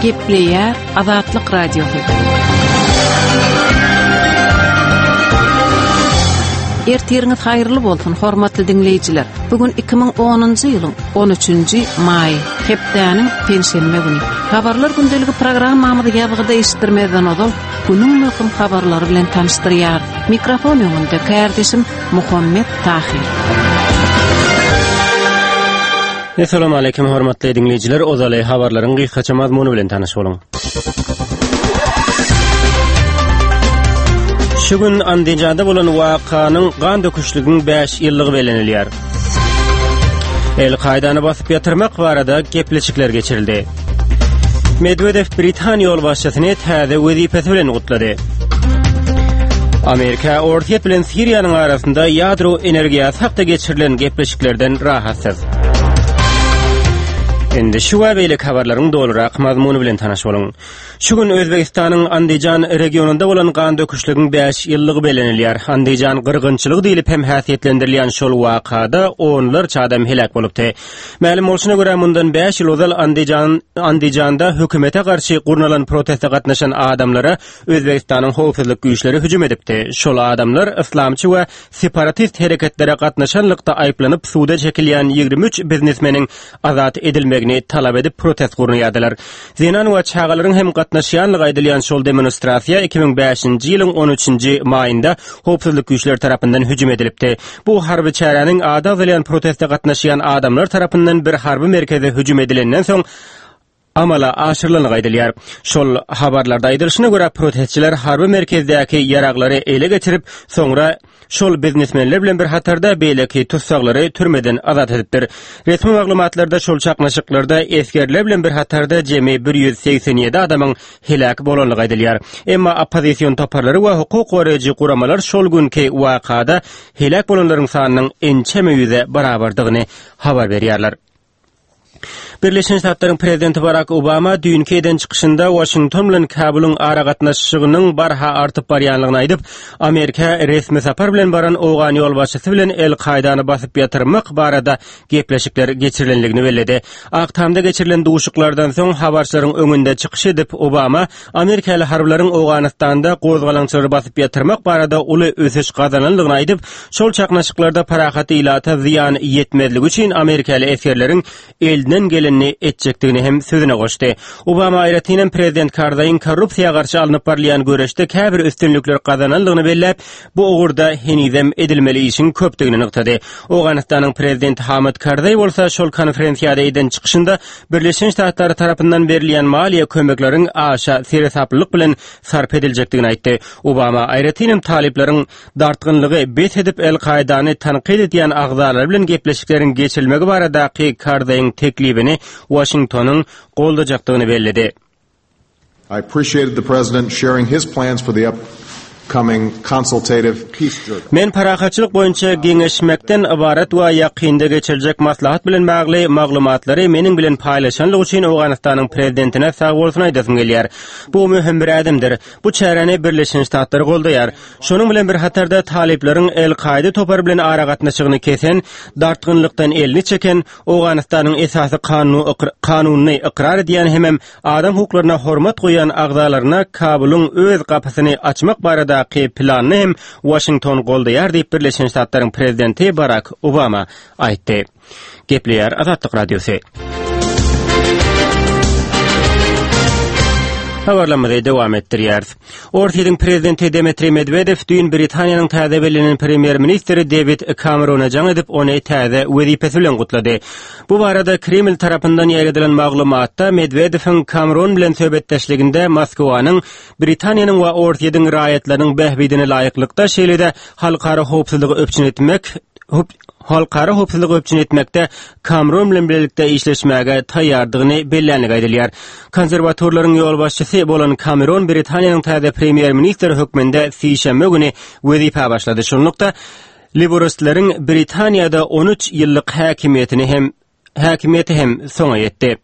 Gepleýär Azatlyk Radiosy. Ertiriňiz haýyrly bolsun, hormatly diňleýjiler. Bu gün 2010-njy ýylyň 13-nji maýy, hepdäniň penşenbe güni. Habarlar gündeligi programmamyzy ýazgyda eşitdirmezden ozal, günüň möhüm habarlary bilen tanyşdyrýarys. Mikrofon öňünde kärdeşim Muhammet Tahyr. Essalamu aleýkum hormatly diňleýjiler, ozaly habarlaryň gysgaça mazmuny bilen tanyş boluň. Şu gün Andijanda bolan wakanyň gan döküşligiň 5 ýyllygy bellenilýär. El-Kaýdany basyp ýatyrmak barada gepleşikler geçirildi. Medwedew Britan ýolbaşçysyny täze wezipesi bilen gutlady. Amerika Orsýet bilen Siriýanyň arasynda ýadro energiýasy hakda geçirilen gepleşiklerden rahatsyz. Indi şu we beýleki habarlaryň dolurak mazmuny bilen tanyş boluň. Şu gün Özbegistanyň Andijan regionynda bolan gan döküşligiň 5 ýyllygy bellenilýär. Andijan gyrgynçylygy diýlip hem häsiýetlendirilýän şol wakada onlarça adam heläk bolupdy. Mälim bolşuna görä, mundan 5 ýyl ozal Andijan Andijanda hökümete garşy gurnalan proteste gatnaşan adamlara Özbegistanyň howpsuzlyk güýçleri hüjüm edipdi. Şol adamlar yslamçy we separatist hereketlere gatnaşanlykda aýyplanyp suda çekilýän 23 biznesmeniň azat edilmegini talap edip protest gurnaýardylar. Zenan we çagalaryň hem gatnaşýanlygy aýdylýan şol demonstrasiýa 2005-nji ýylyň on üçünji maýynda howpsuzlyk güýçleri tarapyndan hüjüm edilipdi. Bu harby çäräniň ady agzalýan proteste gatnaşýan adamlar tarapyndan bir harby merkeze hüjüm edilenden soň amala aşyrylandygy aýdylýar. Şol habarlarda aýdylyşyna görä, protestçiler harby merkezdäki ýaraglary ele geçirip, soňra şol biznesmenler bilen bir hatarda beýleki tussaglary türmeden azat edipdir. Resmi maglumatlarda şol çaknyşyklarda esgerler bilen bir hatarda jemi 187 adamyň heläk bolandygy aýdylýar. Emma oppozision toparlary we hukuk goraýjy guramalar şol günki wakada heläk bolanlaryň sanynyň ençeme ýüze barabardygyny habar berýärler. Birleşen Ştatlaryň prezidenti Barak Obama düýnki eden çykyşynda Waşington bilen Kabulyň aragatnaşygynyň barha artyp barýanlygyny aýdyp, Amerika resmi sapar bilen baran owgan ýolbaşçysy bilen El-Kaýdany basyp ýatyrmak barada gepleşikler geçirilenligini belledi. Ak Tamda geçirilen duşuşyklardan soň habarçylaryň öňünde çykyş edip, Obama amerikaly harbylaryň Owganystanda gozgalaňçylary basyp ýatyrmak barada uly ösüş gazananlygyny aýdyp, şol çaknyşyklarda parahat ilata zyýan ýetmezligi üçin amerikaly esgerleriň elinden gelenini etjekdigini hem sözüne goşdy. Obama aýratyn hem prezident Karzaýyň korrupsiýa garşy alnyp barylýan göreşde käbir üstünlikler gazananlygyny belläp, bu ugurda henizem edilmeli işiň köpdügini nygtady. Owganystanyň prezidenti Hamid Karzaý bolsa şol konferensiýada eden çykyşynda Birleşen Ştatlary tarapyndan berilýän maliýe kömekleriň aşa seresaplylyk bilen sarp ediljekdigini aýtdy. Obama aýratyn hem talyplaryň dartgynlygy bes edip El-Kaýdany tankyt edýän agzalary bilen gepleşikleriň geçirilmegi baradaky Karzaýyň teklibini Waşingtonyň goldajakdygyny belledi. I appreciated the President sharing his plans for the upcoming consultative peace jirga. Men parahatçylyk boýunça geňeşmekden ybarat we ýakynda geçiriljek maslahat bilen bagly maglumatlary meniň bilen paýlaşanlygy üçin Owganystanyň Prezidentine sagbolsun aýdasym gelýär. Bu möhüm bir ädimdir. Bu çäräni Birleşen Ştatlar goldaýar. Şonuň bilen bir hatarda talyplaryň El-Kaýda topary bilen aragatnaşygyny kesen, dartgynlykdan elini çeken, Owganystanyň esasy kanunyny ykrar edýän hemem adam hukuklaryna hormat goýýan agzalaryna Kabulyň öz gapysyny açmak baradaky planyny hem Waşington goldaýar diýip, Birleşen Ştatlaryň prezidenti Barak Obama aýtdy. Gepleýär Azatlyk Radiosy. Habarlarymyzy dowam etdirýäris. Orsýetiň prezidenti Dmitriý Medwedew düýn Britaniýanyň täze bellenen premýer-ministri Dewid Kamerona jaň edip, ony täze wezipesi bilen gutlady. Bu barada Kreml tarapyndan ýaýradylan maglumatda Medwedewiň Kameron bilen söhbetdeşliginde Moskwanyň Britaniýanyň we Orsýetiň raýatlarynyň bähbidine laýyklykda, şeýle-de halkara howpsuzlygy üpjün etmek halkara howpsuzlygy üpjün etmekde Kamron bilen bilelikde işleşmäge taýýardygyny bellänligi aýdylýar. Konserwatorlaryň ýolbaşçysy bolan Kameron Britaniýanyň täze premýer-ministri hökmünde sişenbe güni wezipä başlady. Şunlukda, liboristleriň Britaniýada 13 ýyllyk häkimiýetini hem häkimiýeti hem soňa ýetdi.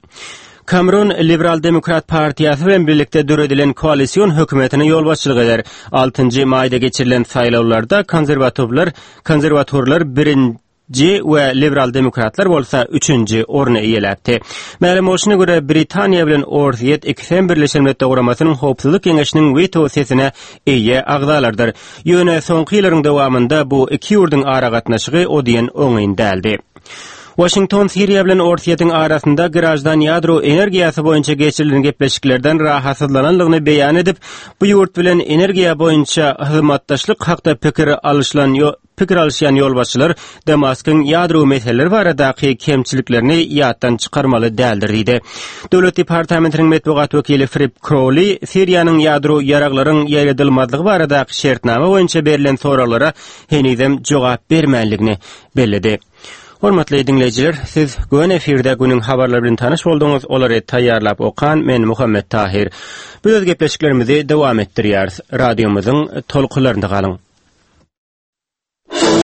Kameron Liberal-demokrat partiýasy bilen birlikde döredilen koalision hökümetine ýolbaşçylyk eder. Altynjy maýda geçirilen saýlawlarda konserwatorlar konserwatorlar birin. Nji we Liberal demokratlar bolsa üçünji orny eýeläpdi. Mälim bolşuna görä, Britaniýa bilen Orsýet ikisem Birleşen Milletler Guramasynyň Howpsuzlyk Geňeşiniň weto sesine eýe agzalardyr. Ýöne soňky ýyllaryň dowamynda bu iki ýurduň aragatnaşygy o diýen oňyn däldi. Waşington Siriýa bilen Orsýetiň arasynda graždan ýadro energiýasy boýunça geçirilen gepleşiklerden rahatsyzlanandygyny beýan edip, bu ýurt bilen energiýa boýunça hyzmatdaşlyk hakda pikir alyşylan pikir alyşýan ýolbaşçylar Damaskyň ýadro meseleleri baradaky kemçiliklerini ýatdan çykarmaly däldir diýdi. Döwlet departamentiniň metbugat wekili Frip Krowli Siriýanyň ýadro ýaraglaryň ýaýradylmazlygy baradaky şertnama boýunça berlen soraglara henizem jogap bermänligini belledi. Hormatly diňleýjiler, siz göni efirde günüň habarlary bilen tanyş bolduňyz, olary taýýarlap okan men Muhammet Tahyr. Biz öz gepleşiklerimizi dowam etdirýäris. Radiomyzyň tolkunlarynda galyň.